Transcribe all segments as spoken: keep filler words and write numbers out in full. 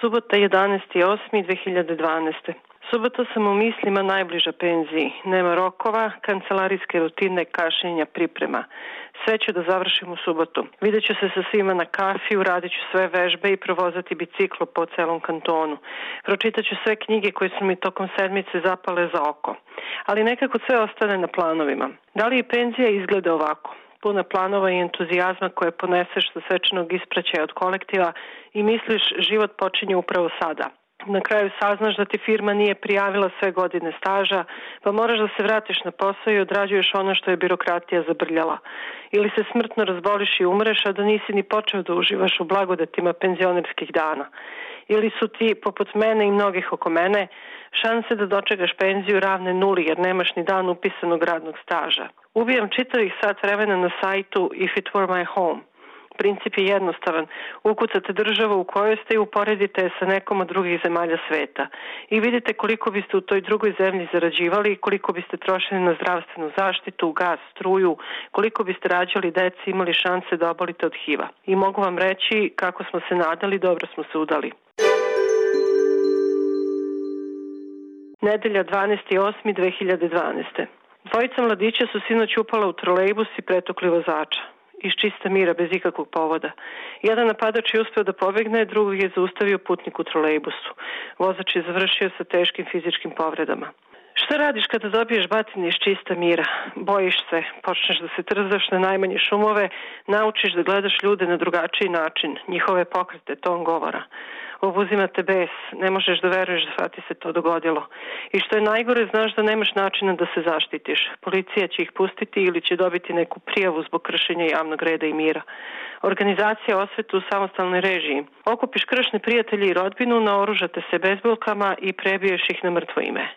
Subota jedanaesti osmi dve hiljade dvanaeste. Subota sam u mislima najbliža penziji. Nema rokova, kancelarijske rutine, kašnjenja, priprema. Sve ću da završim u subotu. Vidjet ću se sa svima na kafiju, radit ću sve vežbe i provozati biciklo po celom kantonu. Pročitat ću sve knjige koje su mi tokom sedmice zapale za oko. Ali nekako sve ostane na planovima. Da li i penzija izgleda ovako? Puna planova i entuzijazma koje poneseš sa svečanog ispraćaja od kolektiva i misliš život počinje upravo sada. Na kraju saznaš da ti firma nije prijavila sve godine staža, pa moraš da se vratiš na posao i odrađuješ ono što je birokratija zabrljala. Ili se smrtno razboliš i umreš, a da nisi ni počeo da uživaš u blagodatima penzionerskih dana. Ili su ti, poput mene i mnogih oko mene, šanse da dočekaš penziju ravne nuli jer nemaš ni dan upisanog radnog staža. Ubijam čitavih sat vremena na sajtu If it were my home. Princip je jednostavan. Ukucate državu u kojoj ste i uporedite je sa nekom od drugih zemalja sveta. I vidite koliko biste u toj drugoj zemlji zarađivali i koliko biste trošili na zdravstvenu zaštitu, gas, struju, koliko biste rađali deci i imali šanse da obolite od HIV-a. I mogu vam reći kako smo se nadali, dobro smo se udali. Nedelja dvanaesti osmi dve hiljade dvanaeste. Dvojica mladića su sinoć upala u trolejbus i pretukli vozača. Iz čista mira, bez ikakvog povoda. Jedan napadač je uspeo da pobegne, drugog je zaustavio putnik u trolejbusu. Vozač je završio sa teškim fizičkim povredama. Šta radiš kada dobiješ batine iz čista mira? Bojiš se, počneš da se trzaš na najmanje šumove, naučiš da gledaš ljude na drugačiji način, njihove pokrete, ton govora. Obuzima te bes, ne možeš da veruješ da ti se to dogodilo. I što je najgore, znaš da nemaš načina da se zaštitiš. Policija će ih pustiti ili će dobiti neku prijavu zbog kršenja javnog reda i mira. Organizacija osvete u samostalnoj režiji. Okupiš kršne prijatelji i rodbinu, naoružate se bezbolkama i prebiješ ih na mrtvo ime.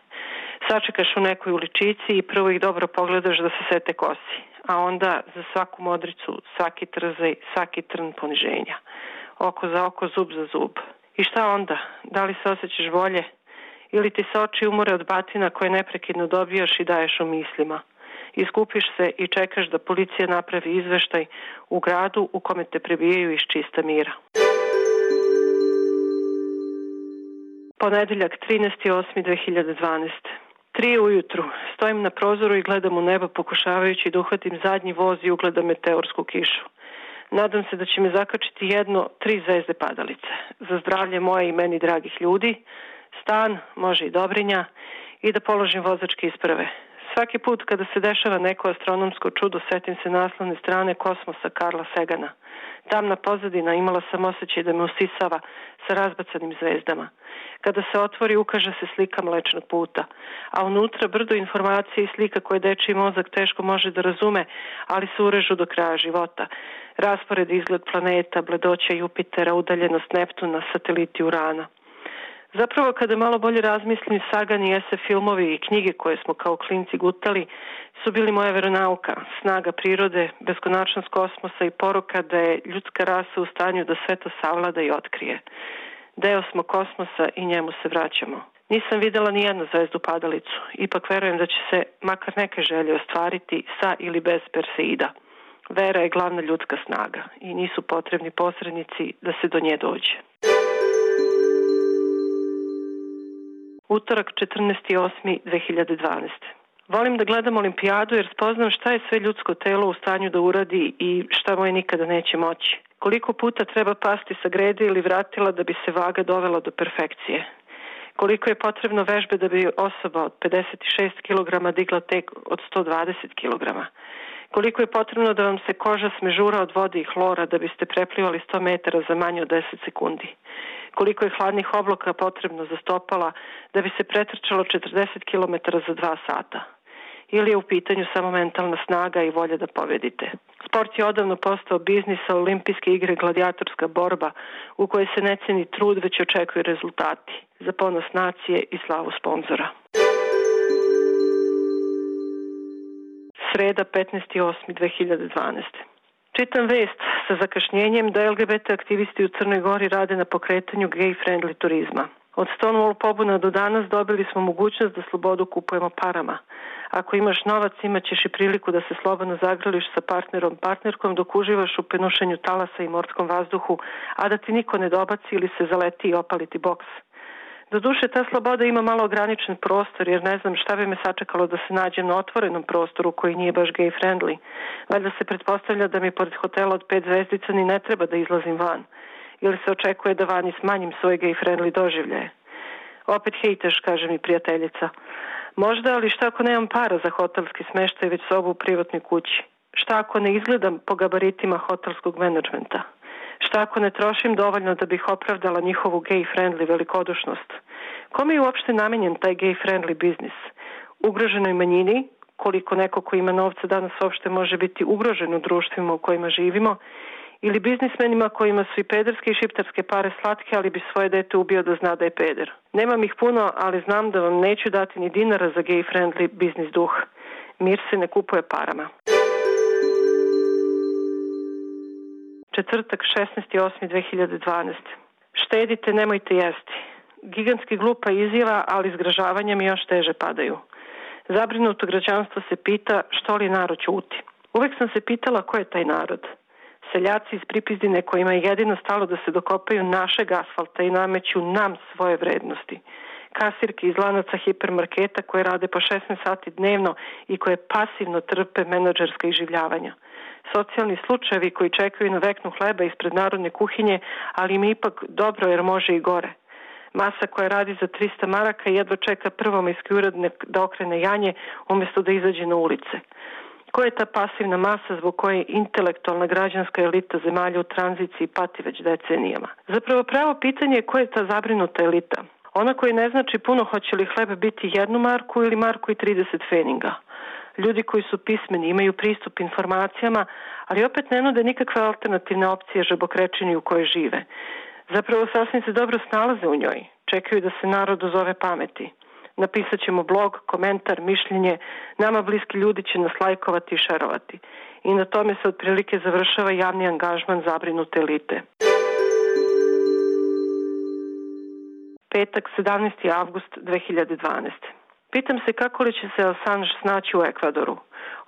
Sačekaš u nekoj uličici i prvo ih dobro pogledaš da se sete kosi. A onda za svaku modricu, svaki trzaj, svaki trn poniženja. Oko za oko, zub za zub. I šta onda? Da li se osjećaš bolje? Ili ti se oči umore od batina koje neprekidno dobijaš i daješ u mislima? Iskupiš se i čekaš da policija napravi izveštaj u gradu u kome te prebijaju iz čista mira. Ponedeljak trinaesti osmi dve hiljade dvanaeste. Tri ujutru. Stojim na prozoru i gledam u nebo pokušavajući da uhvatim zadnji voz i ugledam meteorsku kišu. Nadam se da će me zakačiti jedno tri zvezde padalice. Za zdravlje moje i meni dragih ljudi, stan, može i Dobrinja, i da položim vozačke isprave. Svaki put kada se dešava neko astronomsko čudo, setim se naslovne strane Kosmosa Karla Sagana. Tamna pozadina, imala sam osjećaj da me usisava sa razbacanim zvezdama. Kada se otvori, ukaže se slika Mlečnog puta, a unutra brdo informacije i slika koje dečiji mozak teško može da razume, ali se urežu do kraja života. Raspored, izgled planeta, bledoća Jupitera, udaljenost Neptuna, sateliti Urana. Zapravo, kada malo bolje razmislim, Sagan i esef filmovi i knjige koje smo kao klinci gutali su bili moja veronauka, snaga prirode, beskonačnost kosmosa i poruka da je ljudska rasa u stanju da sve to savlada i otkrije. Deo smo kosmosa i njemu se vraćamo. Nisam videla ni jednu zvezdu padalicu, ipak verujem da će se makar neke želje ostvariti sa ili bez Perseida. Vera je glavna ljudska snaga i nisu potrebni posrednici da se do nje dođe. Utorak četrnaesti osmi dve hiljade dvanaeste. Volim da gledam olimpijadu jer spoznam šta je sve ljudsko telo u stanju da uradi i šta moje nikada neće moći. Koliko puta treba pasti sa grede ili vratila da bi se vaga dovela do perfekcije. Koliko je potrebno vežbe da bi osoba od pedeset šest kilograma digla tek od sto dvadeset kilograma. Koliko je potrebno da vam se koža smežura od vode i hlora da biste preplivali sto metara za manje od deset sekundi. Koliko je hladnih obloka potrebno za stopala da bi se pretrčalo četrdeset kilometara za dva sata. Ili je u pitanju samo mentalna snaga i volja da pobedite. Sport je odavno postao biznis, a olimpijske igre gladijatorska borba u kojoj se ne ceni trud, već očekuju rezultati za ponos nacije i slavu sponzora. Sreda petnaesti osmi dve hiljade dvanaeste. Čitam vest sa zakašnjenjem da L G B T aktivisti u Crnoj Gori rade na pokretanju gay-friendly turizma. Od Stonewall pobuna do danas dobili smo mogućnost da slobodu kupujemo parama. Ako imaš novac, imat ćeš i priliku da se slobodno zagrliš sa partnerom, partnerkom dok uživaš u penušenju talasa i morskom vazduhu, a da ti niko ne dobaci ili se zaleti i opali ti boks. Doduše, ta sloboda ima malo ograničen prostor, jer ne znam šta bi me sačekalo da se nađem na otvorenom prostoru koji nije baš gay friendly. Valjda se pretpostavlja da mi pored hotela od pet zvezdica ni ne treba da izlazim van. Ili se očekuje da vani smanjim svoje gay friendly doživljaje. Opet hejteš, kaže mi prijateljica. Možda, ali šta ako nemam para za hotelski smeštaj, već sobu u privatnoj kući? Šta ako ne izgledam po gabaritima hotelskog menadžmenta? Šta ako ne trošim dovoljno da bih opravdala njihovu gay-friendly velikodušnost? Kome je uopšte namenjen taj gay-friendly biznis? Ugroženoj manjini, koliko neko ko ima novca danas uopšte može biti ugrožen u društvima u kojima živimo, ili biznismenima kojima su i pederske i šiptarske pare slatke, ali bi svoje dete ubio da zna da je peder. Nemam ih puno, ali znam da vam neću dati ni dinara za gay-friendly biznis duh. Mir se ne kupuje parama. Četvrtak, šesnaesti osmi dve hiljade dvanaeste. Štedite, nemojte jesti. Gigantski glupa izjava, ali zgražavanja mi još teže padaju. Zabrinuto građanstvo se pita što li narod ćuti. Uvek sam se pitala ko je taj narod. Seljaci iz Pripizdine kojima je jedino stalo da se dokopaju našeg asfalta i nameću nam svoje vrednosti. Kasirke iz lanaca hipermarketa koje rade po šesnaest sati dnevno i koje pasivno trpe menadžerska iživljavanja. Socijalni slučajevi koji čekaju na veknu hleba ispred narodne kuhinje, ali im ipak dobro jer može i gore. Masa koja radi za trista maraka jedva čeka prvomajski uradnik da okrene janje umjesto da izađe na ulice. Ko je ta pasivna masa zbog koje intelektualna građanska elita zemalja u tranziciji pati već decenijama? Zapravo pravo pitanje je ko je ta zabrinuta elita? Ona koja ne znači puno hoće li hleb biti jednu marku ili marku i trideset feninga. Ljudi koji su pismeni, imaju pristup informacijama, ali opet ne nude nikakve alternativne opcije žabokrečini u kojoj žive. Zapravo sasvim se dobro snalaze u njoj. Čekaju da se narod dozove pameti. Napisat ćemo blog, komentar, mišljenje. Nama bliski ljudi će nas lajkovati i šerovati. I na tome se otprilike završava javni angažman zabrinute elite. Petak, sedamnaesti avgust dve hiljade dvanaeste. Pitam se kako li će se Assange snaći u Ekvadoru.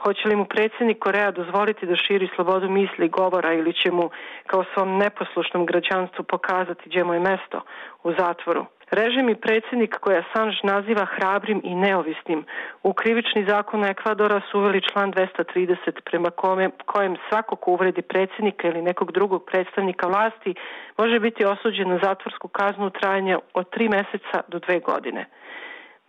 Hoće li mu predsjednik Koreja dozvoliti da širi slobodu misli i govora ili će mu kao svom neposlušnom građanstvu pokazati gdje mu je mesto u zatvoru. Režim i predsjednik koji Assange naziva hrabrim i neovisnim u krivični zakon Ekvadora su uveli član dvesta trideset prema kome, kojem svako ko uvredi predsjednika ili nekog drugog predstavnika vlasti može biti osuđen na zatvorsku kaznu u trajanju od tri meseca do dve godine.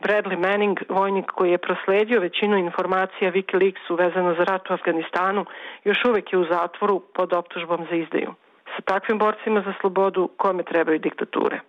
Bradley Manning, vojnik koji je prosledio većinu informacija Wikileaksu vezano za rat u Afganistanu, još uvijek je u zatvoru pod optužbom za izdaju. Sa takvim borcima za slobodu kome trebaju diktature?